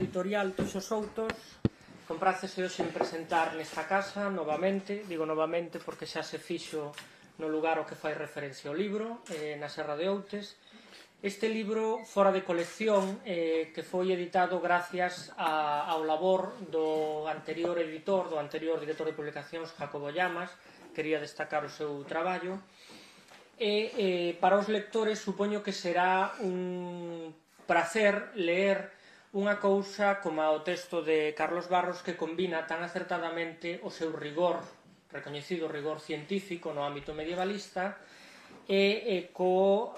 Editorial Toxo Soutos, comprácese hoxe en presentar nesta casa novamente, digo novamente porque xa se fixo no lugar ao que fai referencia ao libro, na Serra de Outes. Este libro fora de colección que foi editado gracias ao labor do anterior editor, do anterior director de publicacións, Jacobo Llamas. Quería destacar o seu traballo e para os lectores supoño que será un prazer leer unha cousa como o texto de Carlos Barros que combina tan acertadamente o seu rigor, recoñecido rigor científico no ámbito medievalista e co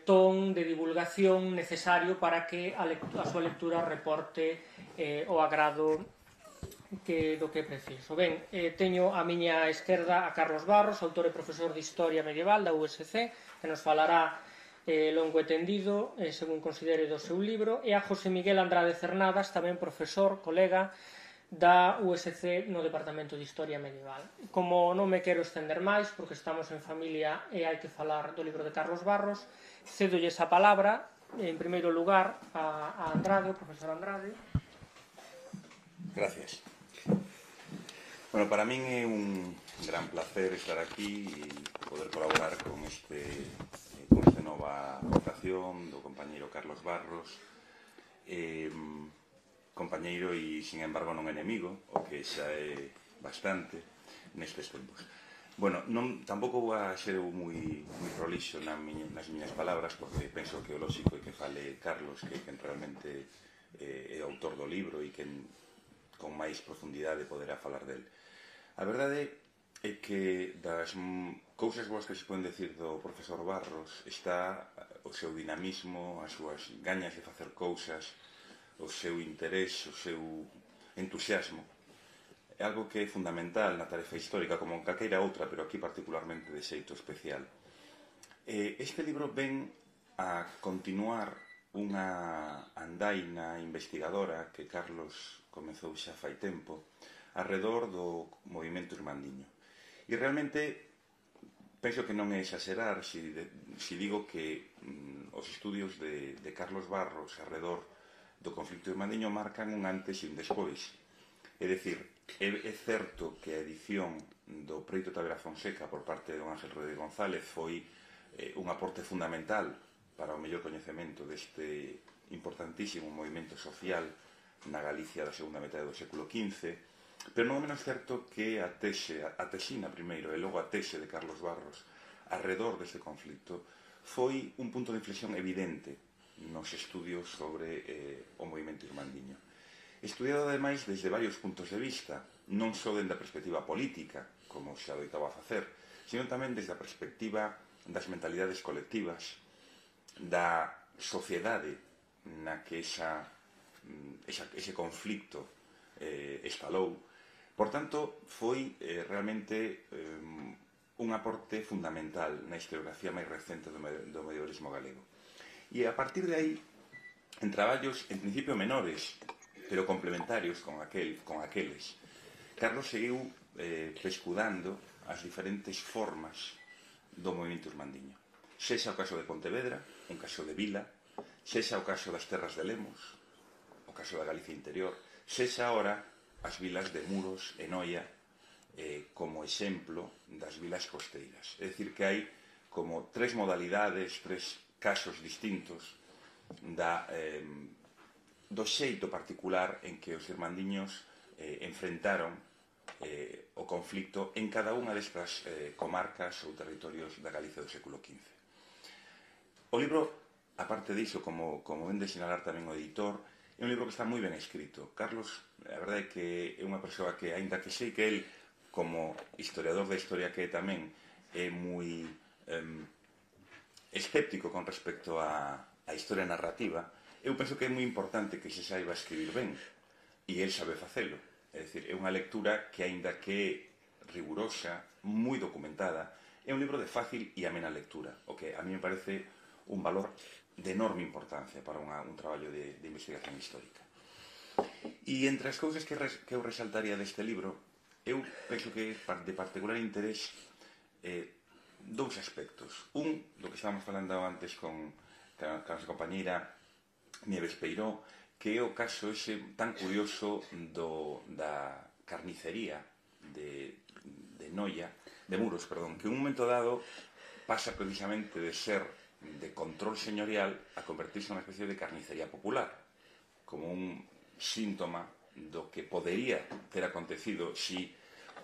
ton de divulgación necesario para que a súa lectura reporte o agrado do que é preciso. Ben, teño a miña esquerda a Carlos Barros, autor e profesor de Historia Medieval da USC, que nos falará longo e tendido, según considere do seu libro, e a José Miguel Andrade Cernadas, tamén profesor, colega da USC no Departamento de Historia Medieval. Como non me quero estender máis, porque estamos en familia e hai que falar do libro de Carlos Barros, cédolles a palabra, en primeiro lugar, a Andrade, o profesor Andrade. Gracias. Bueno, para min é un gran placer estar aquí e poder colaborar con esta nova votación do compañeiro Carlos Barros, compañeiro e, sin embargo, non enemigo, o que xa é bastante nestes tempos. Bueno, tampouco vou a ser moi prolixo nas miñas palabras, porque penso que o lóxico é que fale Carlos, que realmente é o autor do libro e que con máis profundidade poderá falar del. A verdade é que das cousas boas que se poden decir do profesor Barros está o seu dinamismo, as súas gañas de facer cousas, o seu interés, o seu entusiasmo. É algo que é fundamental na tarefa histórica, como en calqueira outra, pero aquí particularmente de xeito especial. Este libro ven a continuar unha andaina investigadora que Carlos comezou xa fai tempo arredor do movimento irmandiño. E realmente penso que non é exagerar se digo que os estudios de Carlos Barros arredor do conflito irmandiño marcan un antes e un despois. É dicir, é certo que a edición do Preito Tavera Fonseca por parte de don Ángel Rodríguez González foi un aporte fundamental para o mellor coñecemento deste importantísimo movimento social na Galicia da segunda metade do século XV, pero non é menos certo que a tesina primeiro e logo a tese de Carlos Barros arredor deste conflito foi un punto de inflexión evidente nos estudios sobre o movimento irmandiño. Estudiado ademais desde varios puntos de vista, non só dende a perspectiva política, como xa adoitaba a facer, sino tamén desde a perspectiva das mentalidades colectivas, da sociedade na que ese conflito estalou. Por tanto, foi realmente un aporte fundamental na historiografía máis recente do medievalismo galego. E a partir de aí, en traballos, en principio menores, pero complementarios con aqueles, Carlos seguiu pescudando as diferentes formas do movimento irmandiño. Sexa o caso de Pontevedra, un caso de vila, sexa o caso das terras de Lemos, o caso da Galicia interior, sexa ahora as vilas de Muros e Noia como exemplo das vilas costeiras. É dicir, que hai como tres modalidades, tres casos distintos do xeito particular en que os irmandiños enfrentaron o conflito en cada unha destas comarcas ou territorios da Galicia do século XV. O libro, aparte diso, como ven de sinalar tamén o editor, é un libro que está moi ben escrito. Carlos, a verdade é que é unha persoa que, aínda que sei que el, como historiador da historia que é tamén, é moi escéptico con respecto á historia narrativa, eu penso que é moi importante que se saiba escribir ben, e el sabe facelo. É dicir, é unha lectura que, aínda que é rigurosa, moi documentada, é un libro de fácil e amena lectura, o que a mí me parece un valor de enorme importancia para un traballo de investigación histórica. E entre as cousas que eu resaltaría deste libro, eu penso que de particular interés dous aspectos. Un, do que estábamos falando antes con a nosa compañeira Nieves Peiró, que é o caso ese tan curioso da carnicería de Noia, de Muros, perdón, que en un momento dado pasa precisamente de ser de control señorial a convertirse nunha especie de carnicería popular, como un síntoma do que podería ter acontecido si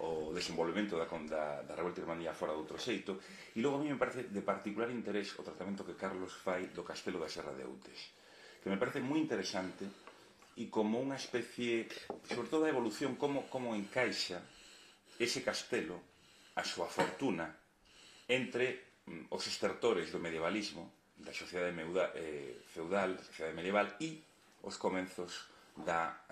o desenvolvemento da revolta irmandía fora de outro xeito. E logo a mí me parece de particular interés o tratamento que Carlos fai do castelo da Serra de Outes, que me parece moi interesante e como unha especie, sobre todo a evolución, como encaixa ese castelo, a súa fortuna, entre os estertores do medievalismo, da sociedade feudal, da sociedade medieval, e os comenzos da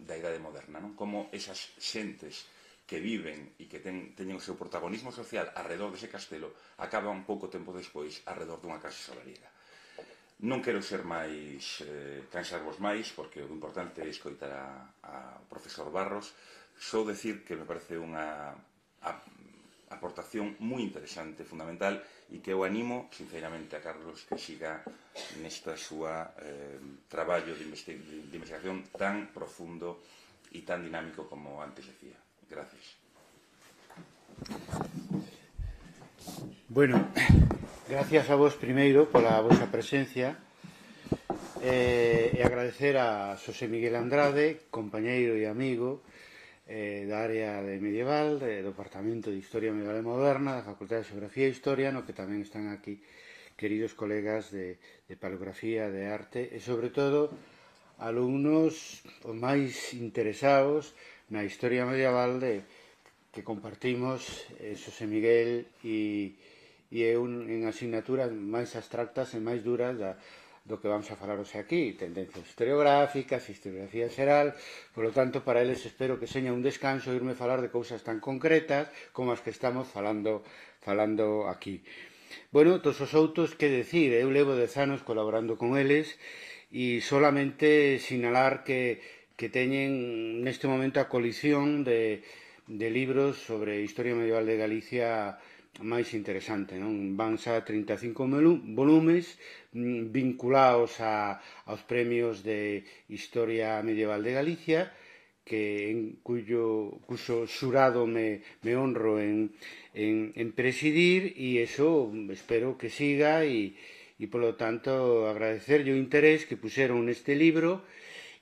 idade moderna, non? Como esas xentes que viven e que teñen o seu protagonismo social arredor dese castelo acaban pouco tempo despois arredor dunha casa solariega. Non quero ser máis cansarvos máis, porque o importante é escoitar ao profesor Barros. Só decir que me parece unha aportación moi interesante, fundamental, e que eu animo sinceramente a Carlos que siga nesta súa traballo de investigación tan profundo e tan dinámico como antes decía. Gracias. Bueno, gracias a vos primeiro pola vosa presencia e agradecer a Xosé Miguel Andrade, compañeiro e amigo da área de medieval, do Departamento de Historia Medieval e Moderna, da Facultade de Xeografía e Historia, no que tamén están aquí queridos colegas de paleografía, de arte e, sobre todo, alumnos os máis interesados na historia medieval que compartimos Xosé Miguel e eu en asignaturas máis abstractas e máis duras do que vamos a falar hoxe aquí, tendencias historiográficas, historiografía xeral. Por lo tanto, para eles espero que seña un descanso irme falar de cousas tan concretas como as que estamos falando aquí. Bueno, todos os outros, que decir, eu levo 10 anos colaborando con eles e solamente sinalar que teñen neste momento a colección de libros sobre historia medieval de Galicia máis interesante, non? Van xa 35 volumes vinculados aos premios de Historia Medieval de Galicia, cuxo xurado me honro en presidir, e iso espero que siga e polo tanto agradecerlle o interés que puxeron neste libro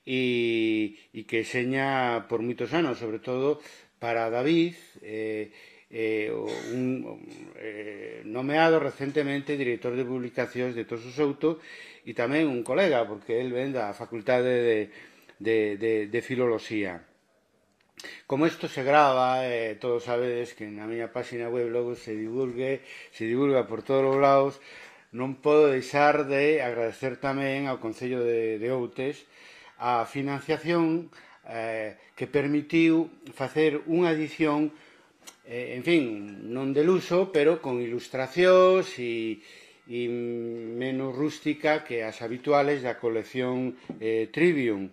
e que seña por moitos anos, sobre todo para David, nomeado recentemente director de publicacións de Tosos Souto, e tamén un colega, porque el ven da Facultade de Filoloxía. Como isto se grava, todos sabedes que na miña página web logo se divulga por todos os lados, non podo deixar de agradecer tamén ao Concello de Outes a financiación que permitiu facer unha edición, en fin, non de luxo, pero con ilustracións e menos rústica que as habituales da colección Trivium.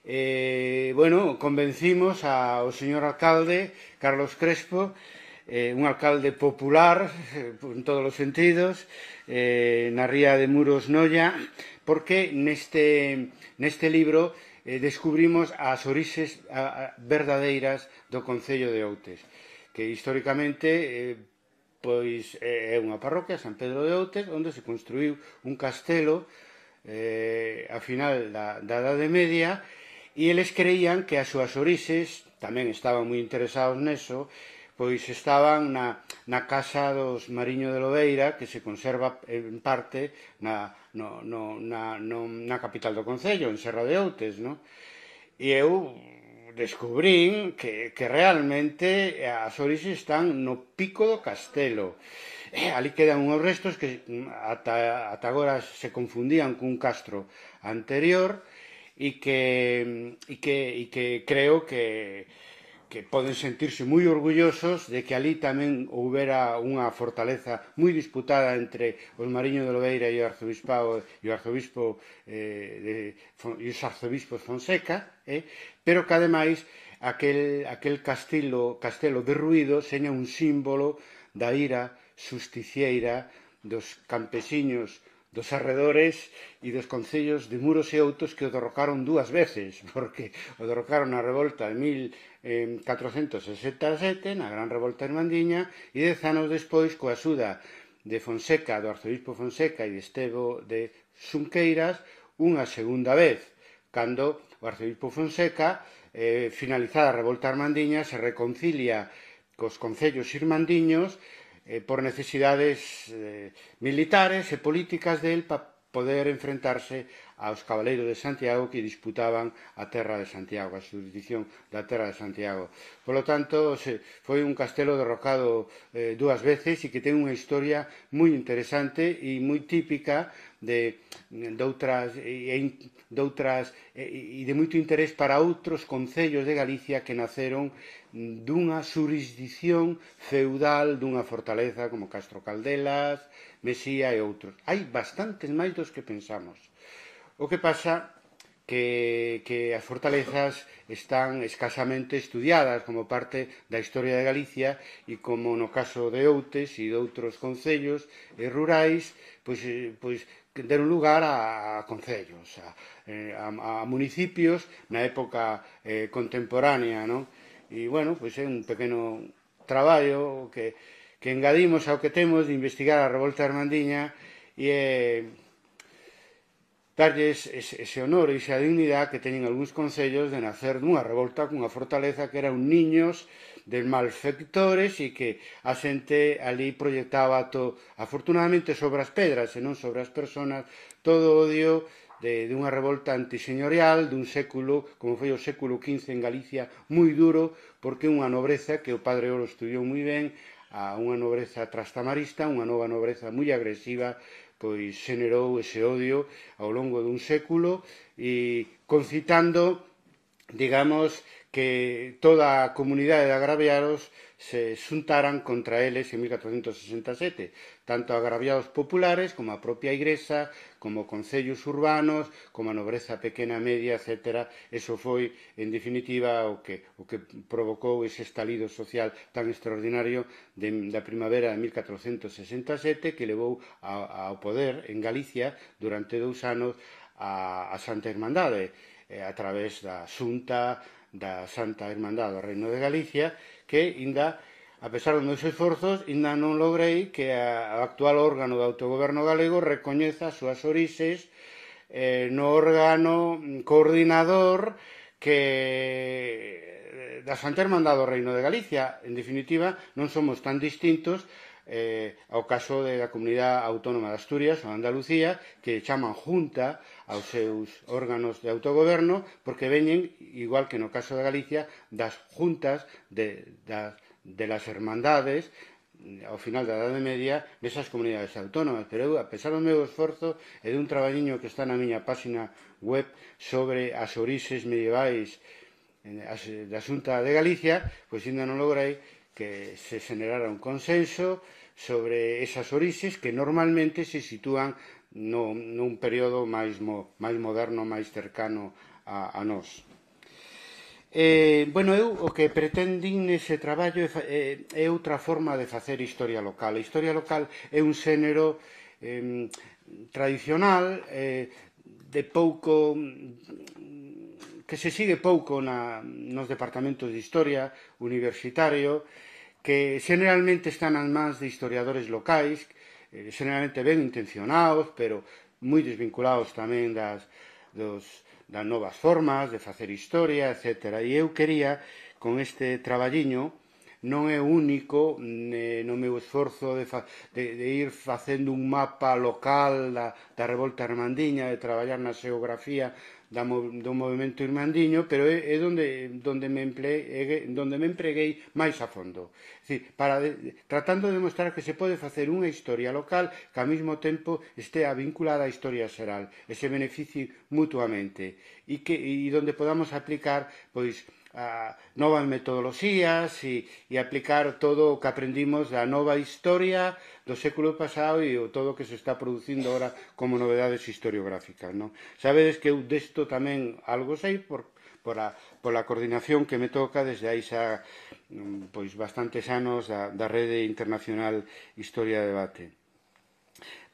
Bueno, convencimos ao señor alcalde, Carlos Crespo, un alcalde popular en todos os sentidos, na ría de Muros, Noia, porque neste libro descubrimos as orixes verdadeiras do Concello de Outes, que históricamente pois é unha parroquia, San Pedro de Outes, onde se construiu un castelo a final da Idade Media, e eles creían que as súas orixes, tamén estaban moi interesados neso, pois estaban na casa dos Mariño de Lobeira, que se conserva en parte na capital do Concello, en Serra de Outes, non? E eu descubrín que realmente as orixes están no pico do castelo. Ali quedan unhos restos que ata agora se confundían cun castro anterior e que creo que poden sentirse moi orgullosos de que ali tamén houbera unha fortaleza moi disputada entre os Mariño de Lobeira e o arzobispado e os arzobispos Fonseca, pero que ademais aquel castelo derruído seña un símbolo da ira xusticieira dos campesiños dos arredores e dos concellos de Muros e Outos que o derrocaron dúas veces, porque o derrocaron na revolta de 1467, na Gran Revolta Irmandiña, e 10 anos despois, coa axuda de Fonseca, do arzobispo Fonseca e de Estevo de Xunqueiras, unha segunda vez, cando o arzobispo Fonseca, finalizada a revolta irmandiña, se reconcilia cos concellos irmandiños por necesidades militares e políticas del para poder enfrentarse aos cabaleiros de Santiago que disputaban a terra de Santiago, a xurisdicción da terra de Santiago. Por lo tanto, foi un castelo derrocado dúas veces e que ten unha historia moi interesante e moi típica de moito interés para outros concellos de Galicia que naceron dunha xurisdicción feudal dunha fortaleza como Castro Caldelas, Mesía e outros. Hai bastantes máis dos que pensamos. O que pasa que as fortalezas están escasamente estudiadas como parte da historia de Galicia e como no caso de Outes e de outros concellos rurais, pois deron lugar a concellos, a municipios na época contemporánea, non? E, bueno, pois é un pequeno traballo que engadimos ao que temos de investigar a revolta irmandiña e darlles ese honor e esa dignidade que teñen algúns concellos de nacer dunha revolta cunha fortaleza que eran niños de malfectores e que a xente ali proyectaba afortunadamente sobre as pedras e non sobre as persoas, todo o odio dunha revolta antiseñorial dun século, como foi o século XV en Galicia, moi duro, porque unha nobreza que o padre Oro estudiou moi ben, a unha nobreza trastamarista, unha nova nobreza moi agresiva, pois xenerou ese odio ao longo dun século e concitando, digamos, que toda a comunidade de agraviados se xuntaran contra eles en 1467, tanto agraviados populares como a propia Igrexa, como concellos urbanos, como a nobreza pequena, media, etc. Eso foi, en definitiva, o que provocou ese estalido social tan extraordinario da primavera de 1467 que levou ao poder en Galicia durante 2 anos a Santa Irmandade, a través da Xunta da Santa Irmandade do Reino de Galicia, que ainda, a pesar dos meus esforzos, ainda non logrei que o actual órgano do autogoberno galego recoñeza as súas orixes no órgano coordinador da Santa Irmandade do Reino de Galicia. En definitiva, non somos tan distintos ao caso da Comunidade Autónoma de Asturias ou Andalucía, que chaman Junta aos seus órganos de autogoberno, porque veñen, igual que no caso de Galicia, das juntas de las hermandades ao final da Edade Media nesas comunidades autónomas. Pero eu, a pesar do meu esforzo e dun traballiño que está na miña página web sobre as orixes medievais da Xunta de Galicia, pois ainda non logrei que se generara un consenso sobre esas orixes que normalmente se sitúan nun período máis moderno, máis cercano a nós. Bueno, eu o que pretendín nese traballo é outra forma de facer historia local. A historia local é un xénero tradicional de pouco que se sigue pouco nos departamentos de historia universitario, que generalmente están nas mans de historiadores locais, generalmente ben intencionados, pero moi desvinculados tamén das novas formas de facer historia, etc. E eu quería, con este traballiño, non é único no meu esforzo de ir facendo un mapa local da revolta irmandiña, de traballar na xeografía do movimento irmandiño, pero é donde me empreguei máis a fondo. Tratando de demostrar que se pode facer unha historia local que ao mesmo tempo estea vinculada á historia xeral e se beneficie mutuamente e donde podamos aplicar novas metodoloxías e aplicar todo o que aprendimos da nova historia do século pasado e todo o que se está producindo agora como novedades historiográficas. Sabedes que eu desto tamén algo sei pola coordinación que me toca desde aí xa bastantes anos da Rede Internacional Historia de Debate.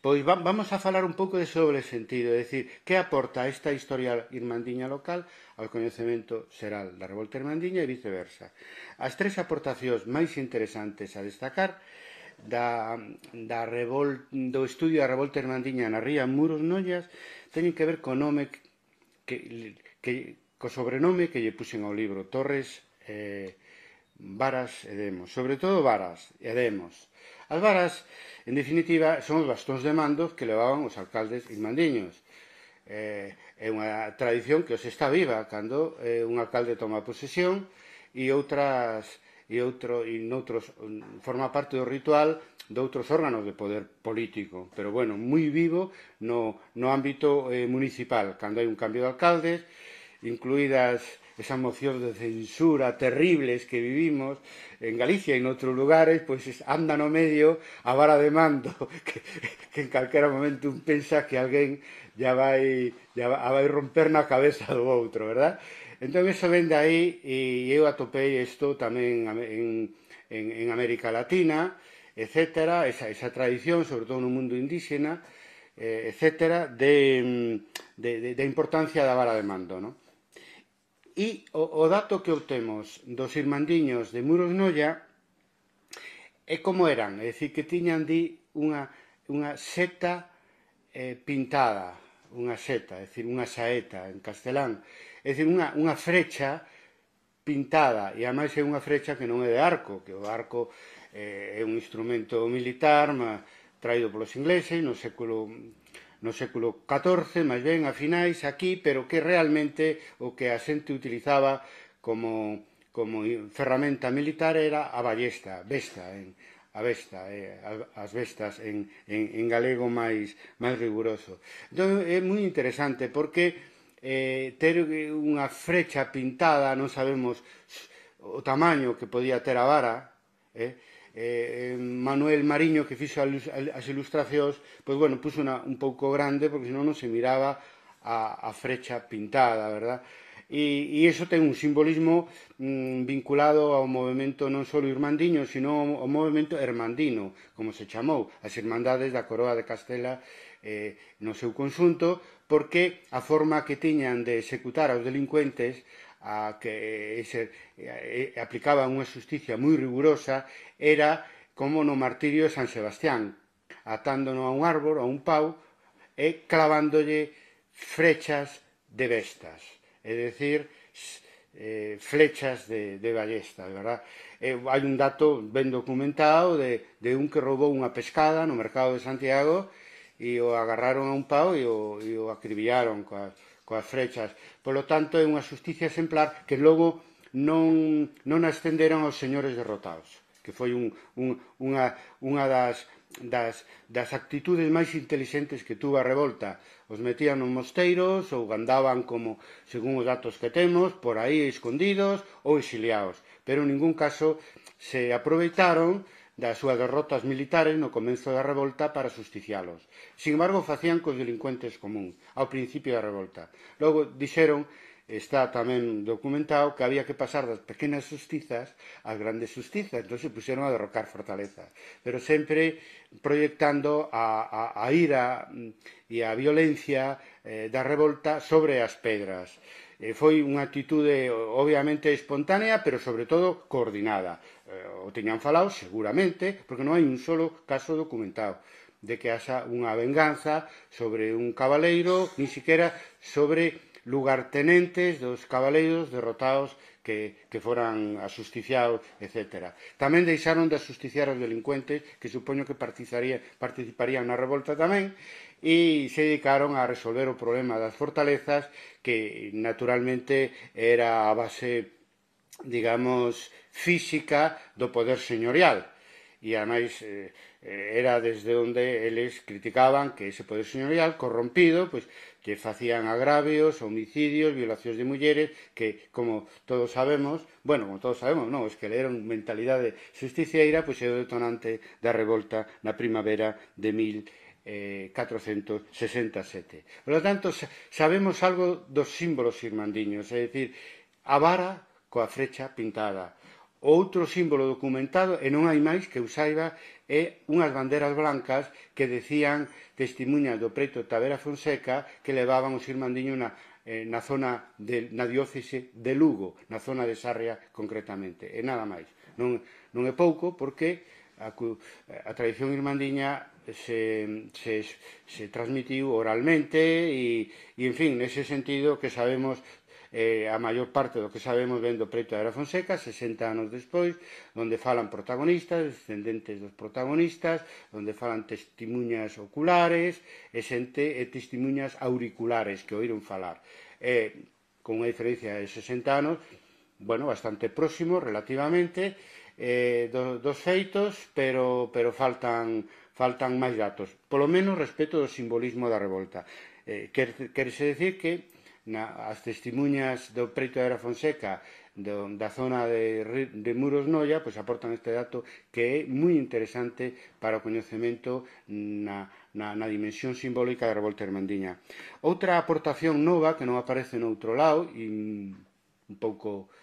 Pois vamos a falar un pouco de sobre sentido, é dicir, que aporta esta historia irmandiña local ao coñecemento xeral da revolta irmandiña e viceversa. As tres aportacións máis interesantes a destacar do estudio da revolta irmandiña na ría Muros Nollas teñen que ver co nome co sobrenome que lle puxen ao libro, Torres, Varas e Demos, sobre todo Varas e Demos. As varas, en definitiva, son os bastóns de mando que levaban os alcaldes irmandiños. É unha tradición que os está viva cando un alcalde toma posesión e noutros forma parte do ritual de outros órganos de poder político, pero bueno, moi vivo no ámbito municipal, cando hai un cambio de alcaldes, incluídas esas mocións de censura terribles que vivimos en Galicia e en outros lugares, pois anda no medio a vara de mando que en calquera momento un pensa que alguén ya vai romper na cabeza do outro, verdad? Entón, eso ven de aí, e eu atopei isto tamén en América Latina, etc., esa tradición, sobre todo no mundo indígena, etc., de importancia da vara de mando, non? E o dato que obtemos dos irmandiños de Muros Noia é como eran, é dicir, que tiñan unha seta pintada, unha seta, é dicir, unha saeta en castelán, é dicir, unha frecha pintada, e ademais é unha frecha que non é de arco, que o arco é un instrumento militar traído polos ingleses no século XIV, máis ben a finais aquí, pero que realmente o que a xente utilizaba como ferramenta militar era a ballesta, as bestas en galego máis riguroso. Entón é moi interesante porque ter unha frecha pintada, non sabemos o tamaño que podía ter a vara, Manuel Mariño, que fixo as ilustracións, pois bueno, puxo un pouco grande porque senón non se miraba a frecha pintada, verdad? E iso ten un simbolismo vinculado ao movimento non só irmandiño, sino ao movimento hermandino, como se chamou, as Irmandades da Coroa de Castela no seu conxunto, porque a forma que tiñan de executar aos delincuentes a que aplicaban unha xusticia moi rigurosa era como no martirio de San Sebastián, atándono a un árbor, a un pau, e clavándolle flechas de bestas, é dicir, flechas de ballesta, verdad? Hai un dato ben documentado de un que roubou unha pescada no mercado de Santiago e o agarraron a un pau e o acribillaron coas flechas. Por lo tanto, é unha xusticia exemplar que logo non ascenderon aos señores derrotados, que foi unha das actitudes máis intelixentes que tuvo a revolta. Os metían nos mosteiros ou andaban como, según os datos que temos, por aí escondidos ou exiliados, pero en ningún caso se aproveitaron das súas derrotas militares no comezo da revolta para justicialos. Sin embargo, facían cos delincuentes común ao principio da revolta. Logo dixeron, está tamén documentado, que había que pasar das pequenas xustizas ás grandes xustizas, entón se puxeron a derrocar fortalezas, pero sempre proyectando a ira e a violencia da revolta sobre as pedras. Foi unha actitude obviamente espontánea, pero sobre todo coordinada. O teñan falado seguramente, porque non hai un solo caso documentado de que haxa unha venganza sobre un cabaleiro, ni siquiera sobre lugartenentes dos cabaleiros derrotados que foran axusticiados, etc. Tamén deixaron de axusticiar os delincuentes, que supoño que participarían na revolta tamén, e se dedicaron a resolver o problema das fortalezas, que naturalmente era a base, digamos, física do poder señorial. E ademais era desde onde eles criticaban que ese poder señorial corrompido, pois que facían agravios, homicidios, violacións de mulleres, que, como todos sabemos, non, es que leron mentalidade justiciaira, pois é o detonante da revolta na primavera de 1467. Por lo tanto, sabemos algo dos símbolos irmandiños, é dicir, a vara coa frecha pintada, outro símbolo documentado, e non hai máis que eu saiba, é unhas banderas blancas que decían testimuñas do preto Tavera Fonseca que levaban os irmandiños na zona na diócese de Lugo, na zona de Sarria concretamente, e nada máis. Non é pouco porque a tradición irmandiña se transmitiu oralmente e, en fin, nese sentido que sabemos a maior parte do que sabemos ven do preto Tavera Fonseca 60 anos despois, onde falan protagonistas, descendentes dos protagonistas, onde falan testimuñas oculares e testimuñas auriculares que oíron falar, con unha diferencia de 60 anos, bueno, bastante próximo relativamente dos feitos, pero faltan máis datos, polo menos respecto do simbolismo da revolta. Querese decir que as testimuñas do preto Tavera Fonseca da zona de Muros Noia aportan este dato que é moi interesante para o coñecemento na dimensión simbólica da revolta irmandiña. Outra aportación nova que non aparece noutro lado e un pouco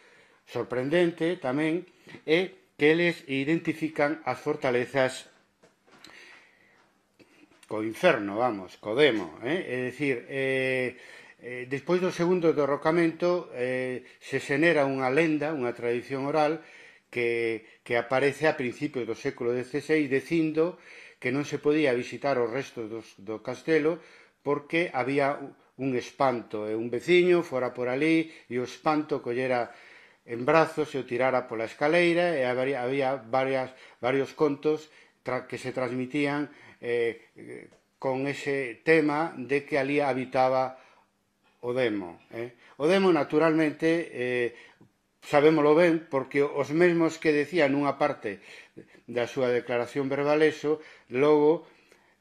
sorprendente tamén é que eles identifican as fortalezas co inferno, vamos, co demo, é dicir, despois do segundo derrocamento se xenera unha lenda, unha tradición oral que aparece a principios do século XVI dicindo que non se podía visitar os restos do castelo porque había un espanto e un veciño fora por ali e o espanto collera en brazos e o tirara pola escaleira e había varios contos que se transmitían con ese tema de que ali habitaba o demo. O demo, naturalmente, sabémolo ben, porque os mesmos que decían nunha parte da súa declaración verbal eso, logo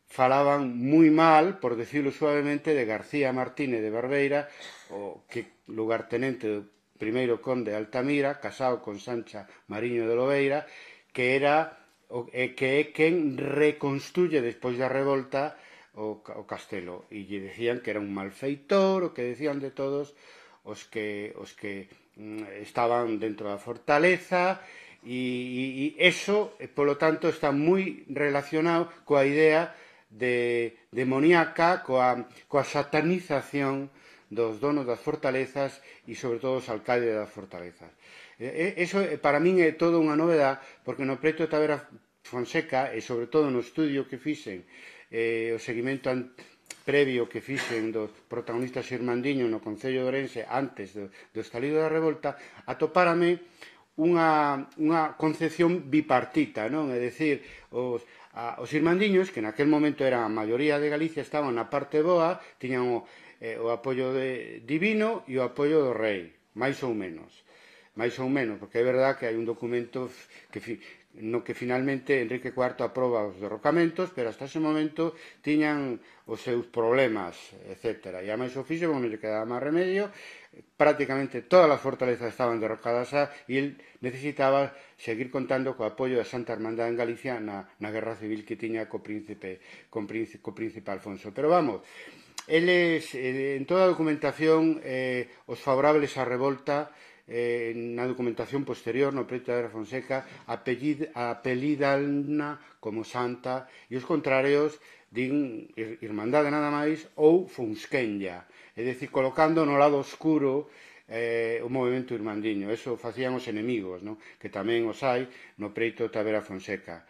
falaban moi mal, por decirlo suavemente, de García Martínez de Barbeira, o que lugartenente do primeiro conde de Altamira, casado con Sancha Mariño de Lobeira, que é quen reconstruye despois da revolta o castelo, e lle decían que era un malfeitor, o que decían de todos os que estaban dentro da fortaleza, e eso, polo tanto, está moi relacionado coa idea demoníaca, coa satanización dos donos das fortalezas e, sobre todo, os alcaldes das fortalezas. Eso, para min, é toda unha novedade, porque no preto Tavera Fonseca, e sobre todo no estudio que fixen, o seguimento previo que fixen dos protagonistas irmandiños no Concello de Ourense antes do estalido da revolta, atopárame unha concepción bipartita, non? É dicir, os irmandiños, que naquel momento eran a maioría de Galicia, estaban na parte boa, tiñan o apoio divino e o apoio do rei, máis ou menos, porque é verdad que hai un documento no que finalmente Enrique IV aproba os derrocamentos, pero hasta ese momento tiñan os seus problemas, etc. E a máis o fixo, non lle quedaba máis remedio, prácticamente todas as fortalezas estaban derrocadas e el necesitaba seguir contando co apoio da Santa Hermandad en Galicia na guerra civil que tiña co príncipe Alfonso. Pero vamos, eles, en toda a documentación, os favorables á revolta, na documentación posterior no preto Tavera Fonseca apelídanna como santa e os contrarios din Irmandade nada máis ou Fonsquenlla, é dicir, colocando no lado oscuro o movimento irmandiño. Eso facían os enemigos, que tamén os hai no preto Tavera Fonseca.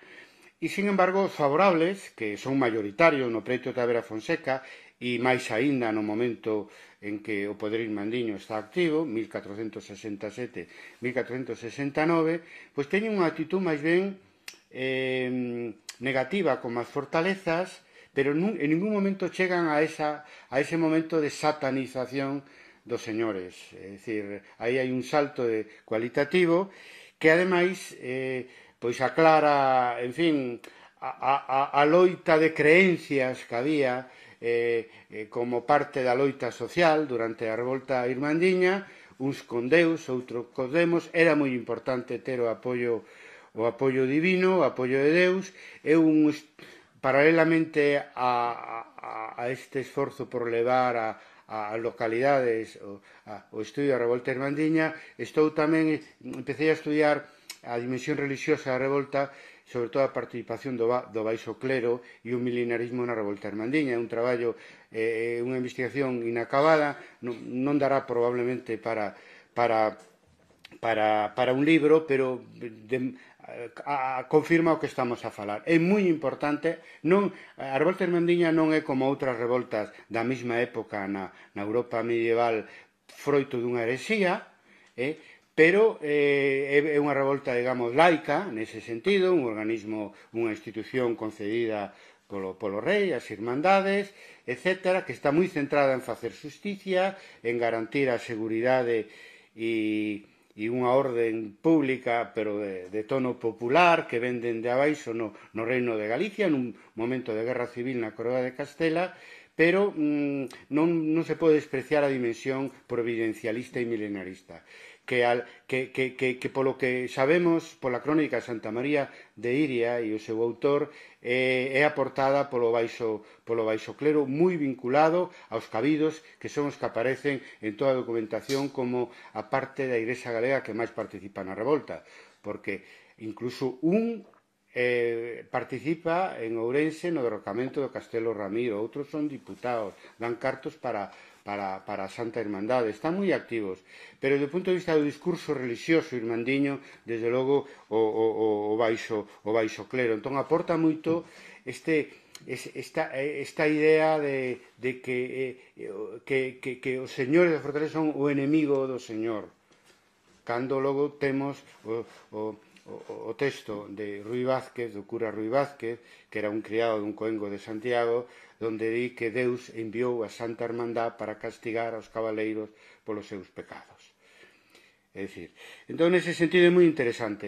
E, sin embargo, os favorables, que son maioritarios no preto Tavera Fonseca, e máis aínda no momento en que o poder irmandiño está activo, 1467-1469, pois teñen unha actitud máis ben negativa como as fortalezas, pero en ningún momento chegan a ese momento de satanización dos señores. É dicir, aí hai un salto cualitativo que, ademais, pois aclara, en fin, a loita de creencias que había como parte da loita social durante a revolta irmandiña, uns con Deus, outros con demos. Era moi importante ter o apoio divino, o apoio de Deus, e paralelamente a este esforzo por levar a localidades o estudio da revolta irmandiña, empecé a estudiar a dimensión religiosa da revolta, sobre todo a participación do baixo clero e o milenarismo na revolta irmandiña. É un traballo, unha investigación inacabada, non dará probablemente para un libro, pero confirma o que estamos a falar. É moi importante, a revolta irmandiña non é como outras revoltas da mesma época na Europa medieval, froito dunha herexía, pero é unha revolta, digamos, laica, nese sentido, un organismo, unha institución concedida polo rei, as irmandades, etc., que está moi centrada en facer justicia, en garantir a seguridade e unha orden pública, pero de tono popular, que ven dende abaixo no Reino de Galicia, nun momento de guerra civil na Coroa de Castela, pero non se pode despreciar a dimensión providencialista e milenarista, que polo que sabemos pola crónica de Santa María de Iria e o seu autor é aportada polo baixo clero, moi vinculado aos cabidos, que son os que aparecen en toda a documentación como a parte da Igrexa galega que máis participa na revolta, porque incluso participa en Ourense no derrocamento do Castelo Ramiro, outros son diputados, dan cartos para a Santa Irmandade, están moi activos, pero do punto de vista do discurso religioso irmandiño, desde logo o baixo clero. Entón aporta moito esta idea de que os señores da fortaleza son o enemigo do Señor, cando logo temos o texto de Ruy Vázquez, do cura Ruy Vázquez, que era un criado dun coengo de Santiago, donde di que Deus enviou a Santa Hermandad para castigar aos cabaleiros polos seus pecados. É dicir, entón, nese sentido é moi interesante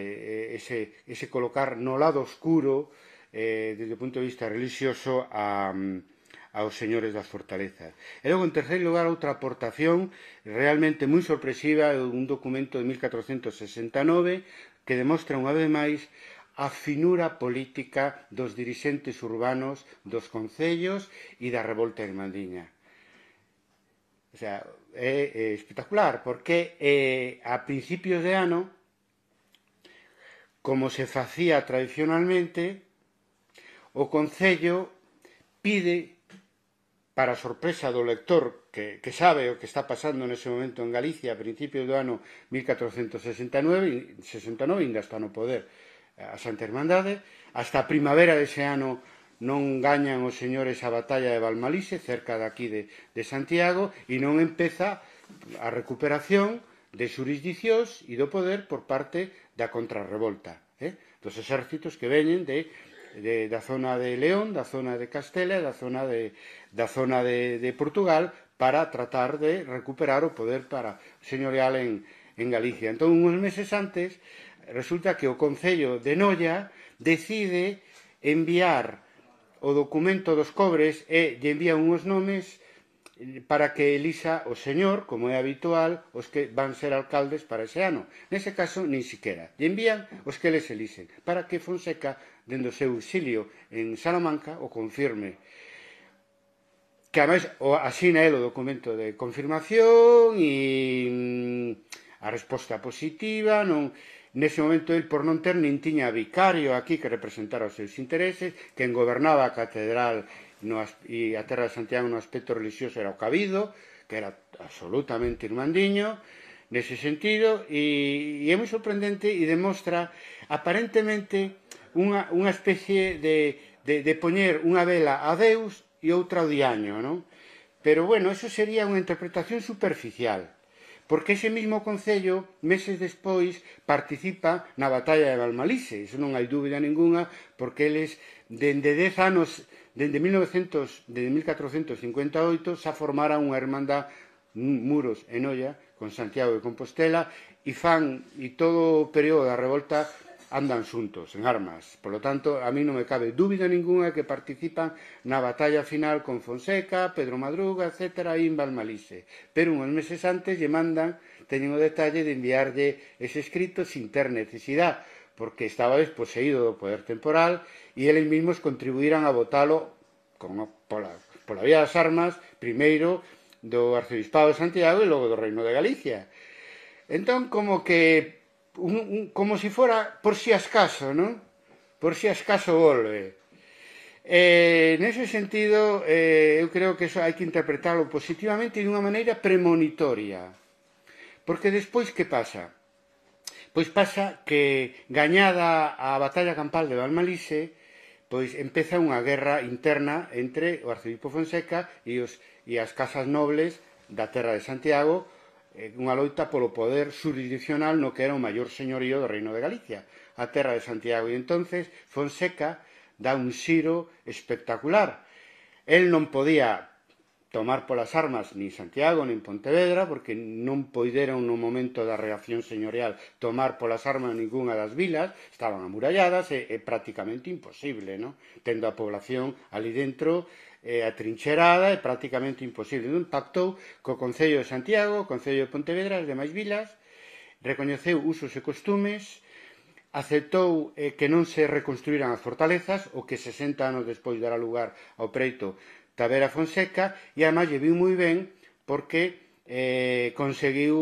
ese colocar no lado oscuro, desde o punto de vista religioso, aos señores das fortalezas. E logo, en terceiro lugar, outra aportación realmente moi sorpresiva, un documento de 1469 que demostra unha vez máis a finura política dos dirixentes urbanos dos concellos e da revolta irmandiña. O sea, é espectacular, porque a principios de ano, como se facía tradicionalmente, o concello pide, para a sorpresa do lector que sabe o que está pasando nese momento en Galicia a principios do ano 1469, ainda está no poder a Santa Hermandade, hasta a primavera dese ano non gañan os señores a batalla de Valmalise, cerca daqui de Santiago, e non empeza a recuperación de xurisdicións e do poder por parte da contrarrevolta, dos exércitos que veñen da zona de León, da zona de Castela e da zona de Portugal, para tratar de recuperar o poder señorial en Galicia. Entón, uns meses antes, resulta que o Concello de Noia decide enviar o documento dos cobres e lle envía uns nomes para que elisa o señor, como é habitual, os que van ser alcaldes para ese ano. Nese caso, nin siquiera. Lle envían os que les elisen, para que Fonseca, dende o seu exilio en Salamanca, o confirme. Que, ademais, asina el o documento de confirmación e a resposta positiva. Nese momento, el, por non ter, nin tiña vicario aquí que representara os seus intereses, quen gobernaba a catedral e a terra de Santiago no aspecto religioso era o cabido, que era absolutamente irmandiño nese sentido, e é moi sorprendente e demostra aparentemente unha especie de poñer unha vela a Deus e outra ao diaño, non? Pero, bueno, eso sería unha interpretación superficial, porque ese mismo concello, meses despois, participa na batalla de Valmalise. Iso non hai dúbida ninguna, porque eles, dende 10 anos, dende 1458, xa formaran unha hermandad, Muros e Noia, con Santiago de Compostela, e todo o período da revolta andan xuntos, en armas. Por lo tanto, a mí non me cabe dúbida ninguna que participan na batalla final con Fonseca, Pedro Madruga, etc., aí en Valmalise. Pero uns meses antes lle mandan, teñen o detalle de enviarlle ese escrito sin ter necesidade, porque estaba desposeído do poder temporal e eles mesmos contribuíran a votalo pola vía das armas, primeiro do Arcebispado de Santiago e logo do Reino de Galicia. Entón, como que como si fora por si acaso, non? Por si acaso volve. Nese sentido, eu creo que eso hai que interpretarlo positivamente e dunha maneira premonitoria. Porque despois que pasa? Pois pasa que, gañada a batalla campal de Valmalise, pois empeza unha guerra interna entre o arcebispo Fonseca e as casas nobles da terra de Santiago, unha loita polo poder jurisdiccional no que era o maior señorío do Reino de Galicia, a terra de Santiago. E entonces Fonseca dá un xiro espectacular. El non podía tomar polas armas nin Santiago nin Pontevedra, porque non poideron no momento da reacción señorial tomar polas armas ningunha das vilas, estaban amuralladas, é prácticamente imposible, non? Tendo a población ali dentro atrincherada, é prácticamente imposible. Non pactou co Concello de Santiago, o Concello de Pontevedra, as demais vilas, recoñeceu usos e costumes, aceptou que non se reconstruíran as fortalezas, o que 60 anos despois dará lugar ao preito Tavera Fonseca, e además lle viu moi ben porque conseguiu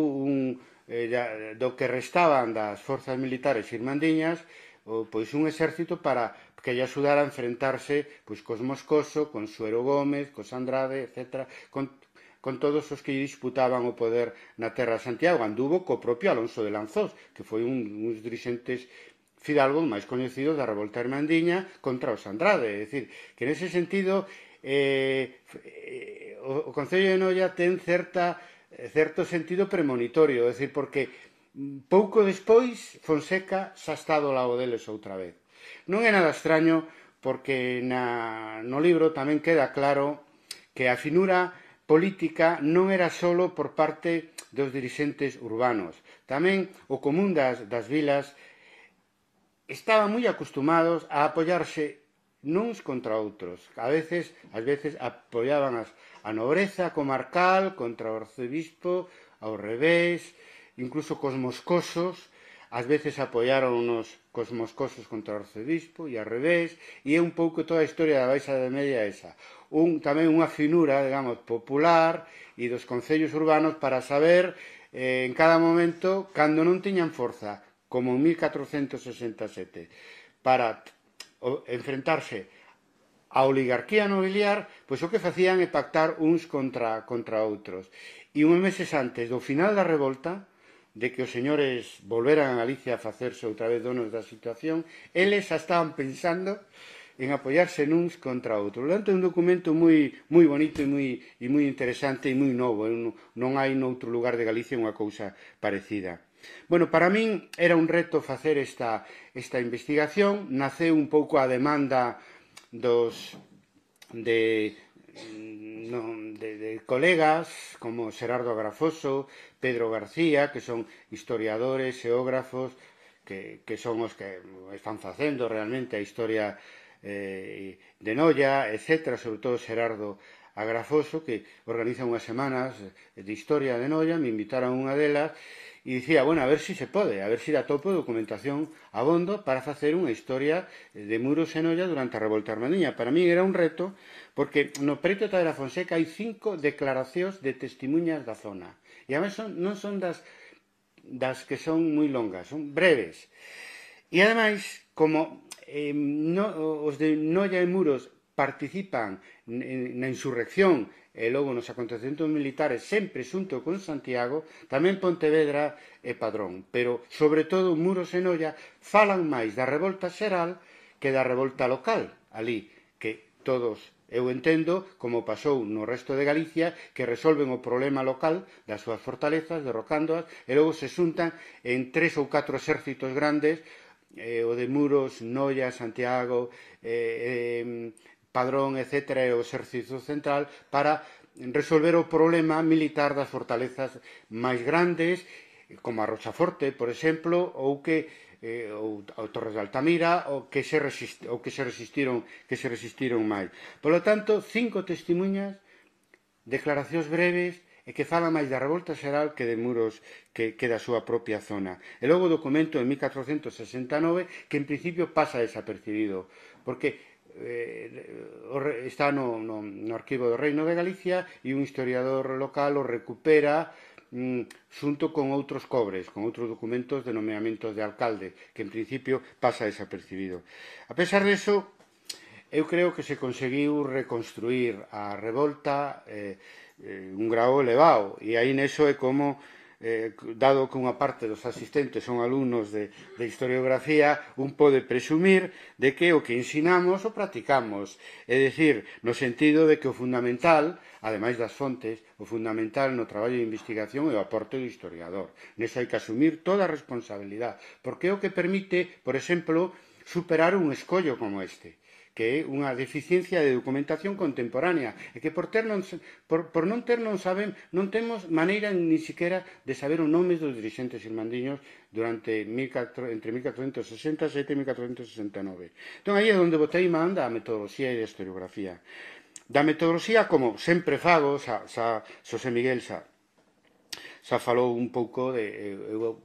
do que restaban das forzas militares irmandiñas pois un exército para que lle axudara a enfrentarse pois cos Moscoso, con Suero Gómez, cos Andrade, etc., con todos os que disputaban o poder na terra de Santiago. Anduvo co propio Alonso de Lanzós, que foi un dos dirixentes fidalgos máis coñecidos da revolta irmandiña contra os Andrade. É dicir, que nese sentido o Concello de Noia ten certo sentido premonitorio, é dicir, porque pouco despois Fonseca xa está do lado deles outra vez. Non é nada extraño, porque no libro tamén queda claro que a finura política non era só por parte dos dirixentes urbanos. Tamén o común das vilas estaban moi acostumados a apoiarse nuns contra outros. Ás veces apoiaban a nobreza comarcal contra o arcebispo, ao revés, incluso cos moscosos, ás veces apoiaron cos moscosos contra o arcebispo e ao revés, e é un pouco toda a historia da Baixa Idade Media esa. Tamén unha finura, digamos, popular e dos concellos urbanos para saber en cada momento, cando non tiñan forza, como en 1467, para enfrentarse a oligarquía nobiliar, pois o que facían é pactar uns contra outros. E uns meses antes do final da revolta, de que os señores volveran a Galicia a facerse outra vez donos da situación, eles xa estaban pensando en apoiarse nuns contra outros. Portanto, é un documento moi bonito e moi interesante e moi novo. Non hai noutro lugar de Galicia unha cousa parecida. Bueno, para min era un reto facer esta investigación. Naceu un pouco a demanda de colegas como Xerardo Agrafoso, Pedro García, que son historiadores, xeógrafos, que son os que están facendo realmente a historia de Noia, etc., sobre todo Xerardo Agrafoso, que organiza unhas semanas de historia de Noia. Me invitaron a unha delas e dicía, bueno, a ver se pode, a ver se dá topo de documentación abondo para facer unha historia de Muros e Noia durante a revolta irmandiña. Para mí era un reto, porque no preito Tavera Fonseca hai 5 declaracións de testemunhas da zona, e además non son das que son moi longas, son breves. E ademais, como os de Noia e Muros participan na insurrección e logo nos acontecementos militares sempre xunto con Santiago, tamén Pontevedra e Padrón, pero sobre todo Muros e Noia falan máis da revolta xeral que da revolta local ali, que todos, eu entendo, como pasou no resto de Galicia, que resolven o problema local das súas fortalezas, derrocándoas, e logo se xuntan en 3 ou 4 exércitos grandes, o de Muros, Noia, Santiago, Padrón, etc., e o exército central, para resolver o problema militar das fortalezas máis grandes, como a Rochaforte, por exemplo, ou Torres de Altamira, ou que se resistiron máis. Por lo tanto, 5 testemunhas, declaracións breves, e que fala máis da revolta xeral que de Muros, que da súa propia zona. E logo o documento de 1469, que en principio pasa desapercibido, porque está no arquivo do Reino de Galicia, e un historiador local o recupera xunto con outros cobres, con outros documentos de nomeamentos de alcalde, que en principio pasa desapercibido. A pesar disso, eu creo que se conseguiu reconstruir a revolta un grau elevado, e aí neso é como dado que unha parte dos asistentes son alumnos de historiografía, un pode presumir de que o que ensinamos o practicamos. É dicir, no sentido de que o fundamental, ademais das fontes, o fundamental no traballo de investigación é o aporte do historiador. Neso hai que asumir toda a responsabilidade, porque é o que permite, por exemplo, superar un escollo como este, que é unha deficiencia de documentación contemporánea e que por non ter non temos maneira ni siquiera de saber os nomes dos dirixentes irmandiños entre 1467 e 1469. Entón, aí é onde botei man da metodoloxía e da historiografía. Da metodoloxía, como sempre fago, Xosé Miguel xa falou un pouco, eu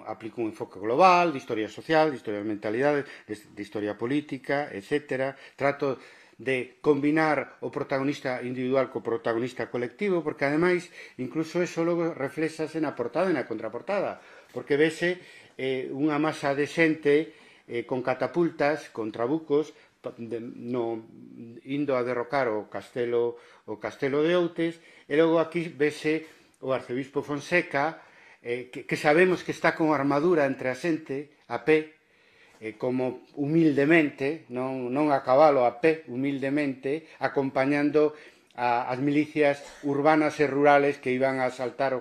aplico un enfoque global de historia social, de historia de mentalidade, de historia política, etc. Trato de combinar o protagonista individual co protagonista colectivo, porque ademais, incluso eso logo reflexase na portada e na contraportada, porque vese unha masa de xente con catapultas, con trabucos, indo a derrocar o castelo de Outes, e logo aquí vese o arcebispo Fonseca, que sabemos que está con armadura entre a xente, a pé, como humildemente, non a cabalo, a pé, humildemente, acompañando as milicias urbanas e rurales que iban a asaltar o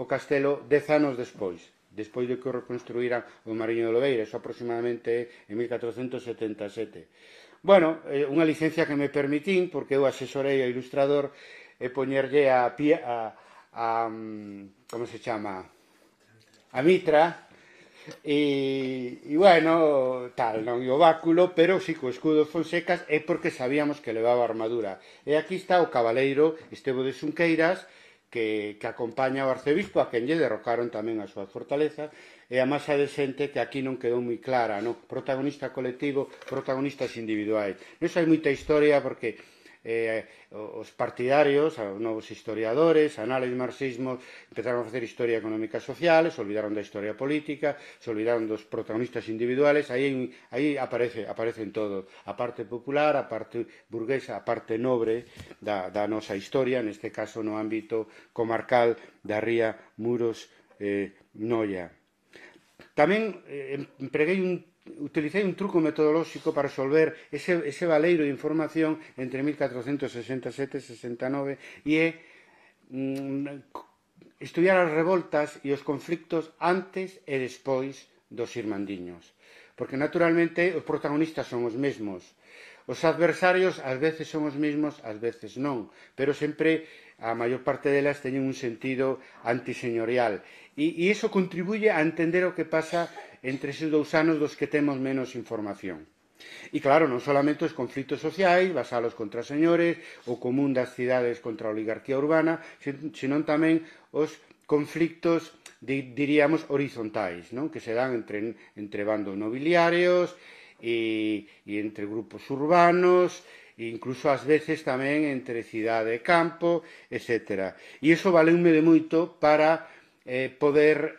castelo 10 anos despois de que o reconstruíran o Mariño de Lobeira, eso aproximadamente en 1477. Bueno, unha licencia que me permitín, porque eu asesorei ao ilustrador e poñerlle como se chama, a mitra, e bueno, tal, non o báculo, pero si co escudo Fonsecas é porque sabíamos que levaba armadura. E aquí está o cabaleiro Estevo de Xunqueiras, que acompaña ao arcebispo, a quen lle derrocaron tamén a súa fortaleza, e a masa de xente que aquí non quedou moi clara, non? Protagonista colectivo, protagonistas individuais. Iso hai moita historia porque os partidarios, os novos historiadores, anales de marxismo, empezaron a facer historia económica e social, se olvidaron da historia política, se olvidaron dos protagonistas individuales, aí aparecen todos, a parte popular, a parte burguesa, a parte nobre da nosa historia, neste caso no ámbito comarcal da ría Muros Noia. Tamén utilicei un truco metodolóxico para resolver ese valeiro de información entre 1467 e 69 e estudiar as revoltas e os conflictos antes e despois dos irmandiños. Porque, naturalmente, os protagonistas son os mesmos. Os adversarios ás veces son os mesmos, ás veces non, pero sempre a maior parte delas teñen un sentido antiseñorial. E iso contribuye a entender o que pasa entre eses 2 anos dos que temos menos información. E claro, non solamente os conflitos sociais, vasalos contra señores, o común das cidades contra a oligarquía urbana, senón tamén os conflictos, diríamos, horizontais, non? Que se dan entre bandos nobiliarios e entre grupos urbanos, e incluso ás veces tamén entre cidade e campo, etc. E iso valeume de moito para poder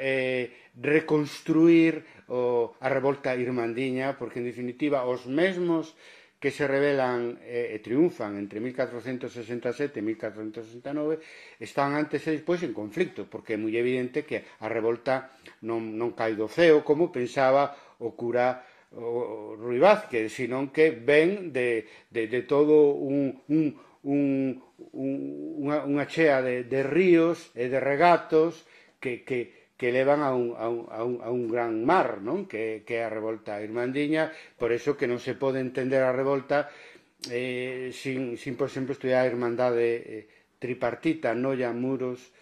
reconstruir a revolta irmandiña, porque en definitiva os mesmos que se rebelan e triunfan entre 1467 e 1469 están antes e despois en conflicto, porque é moi evidente que a revolta non cae do ceo como pensaba o cura Rui Vázquez, senón que ven de todo unha chea de ríos e de regatos que levan a un gran mar, non? Que é a revolta irmandiña. Por eso que non se pode entender a revolta sin por exemplo, estudiar a Irmandade tripartita, Noia, Muros,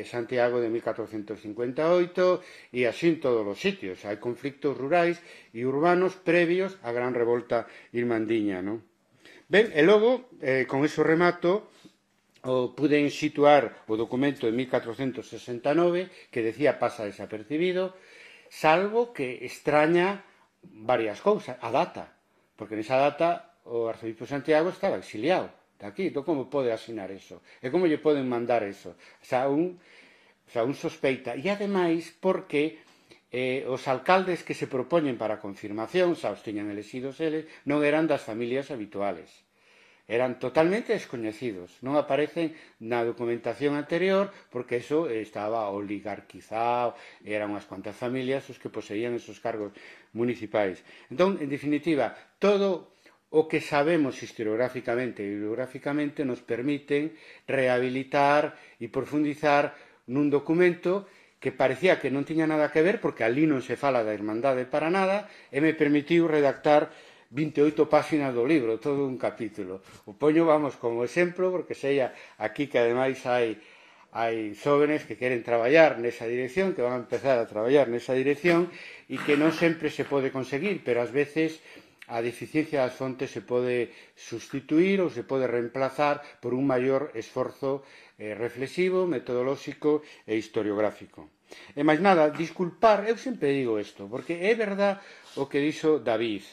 Santiago de 1458 e así en todos os sitios. Hai conflictos rurais e urbanos previos á gran revolta irmandiña, non? Ben, e logo, con iso remato, puden situar o documento de 1469 que decía pasa desapercibido, salvo que extraña varias cousas, a data, porque nesa data o arcebispo Santiago estaba exiliado, aquí, entón como pode asinar eso? E como lle poden mandar eso? Un sospeita. E ademais porque os alcaldes que se propoñen para a confirmación, xa os tiñan elexidos eles, non eran das familias habituales. Eran totalmente descoñecidos, non aparecen na documentación anterior porque eso estaba oligarquizado, eran unhas cuantas familias os que poseían esos cargos municipais. Entón, en definitiva, todo o que sabemos historiográficamente e bibliográficamente nos permiten rehabilitar e profundizar nun documento que parecía que non tiña nada que ver porque ali non se fala da Irmandade para nada e me permitiu redactar 28 páxinas do libro, todo un capítulo. O poño, vamos, como exemplo, porque sei aquí que ademais hai xóvenes que queren traballar nesa dirección, que van a empezar a traballar nesa dirección e que non sempre se pode conseguir, pero ás veces a deficiencia das fontes se pode sustituir ou se pode reemplazar por un maior esforzo reflexivo, metodolóxico e historiográfico. E máis nada, disculpar, eu sempre digo isto, porque é verdad o que dixo David.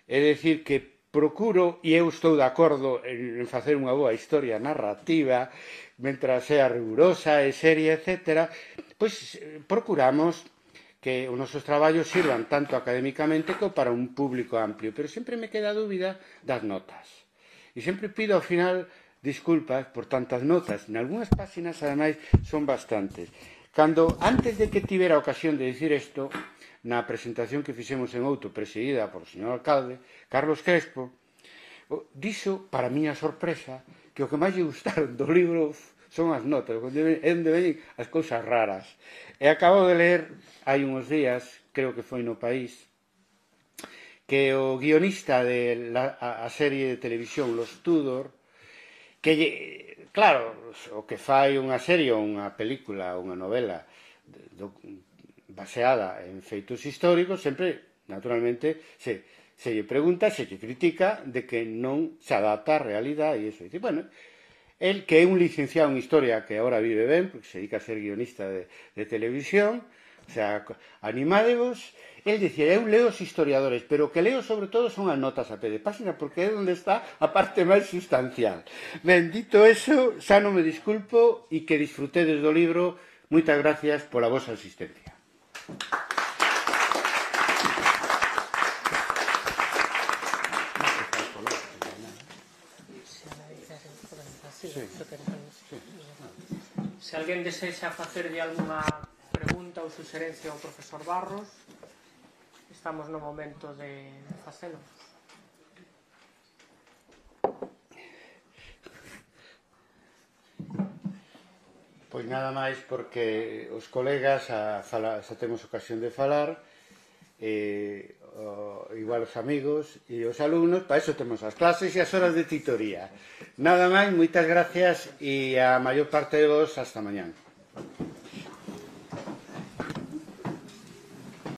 É dicir, que procuro, e eu estou de acordo en facer unha boa historia narrativa, mentras sea rigurosa e seria, etc., pois procuramos que os nosos traballos sirvan tanto académicamente como para un público amplio, pero sempre me queda a dúbida das notas. E sempre pido ao final disculpas por tantas notas. En algunhas páxinas, ademais, son bastantes. Antes de que tivera a ocasión de dicir isto, na presentación que fixemos en Outo, presidida por o señor alcalde, Carlos Crespo, dixo, para miña sorpresa, que o que máis lle gustaron do libro son as notas, onde ven as cousas raras. E acabo de ler, hai uns días, creo que foi no País, que o guionista de a serie de televisión Los Tudor, que, claro, o que fai unha serie ou unha película ou unha novela baseada en feitos históricos, sempre, naturalmente, se lle pregunta, se lle critica de que non se adapta á realidade e iso. Dice, bueno, el que é un licenciado en historia que agora vive ben, porque se dedica a ser guionista de televisión, o sea, animádevos, el dicía, eu leo os historiadores, pero o que leo sobre todo son as notas a pé de página, porque é onde está a parte máis sustancial. Ben, dito eso, xa non me disculpo e que disfrutedes do libro. Moitas gracias pola vosa asistencia. Se alguén desexa facerlle algunha pregunta ou suxerencia ao profesor Barros, estamos no momento de facelo. Pois nada máis porque os colegas xa temos ocasión de falar, igual os amigos e os alumnos, para iso temos as clases e as horas de titoría. Nada máis, moitas gracias e a maior parte de vos hasta mañán.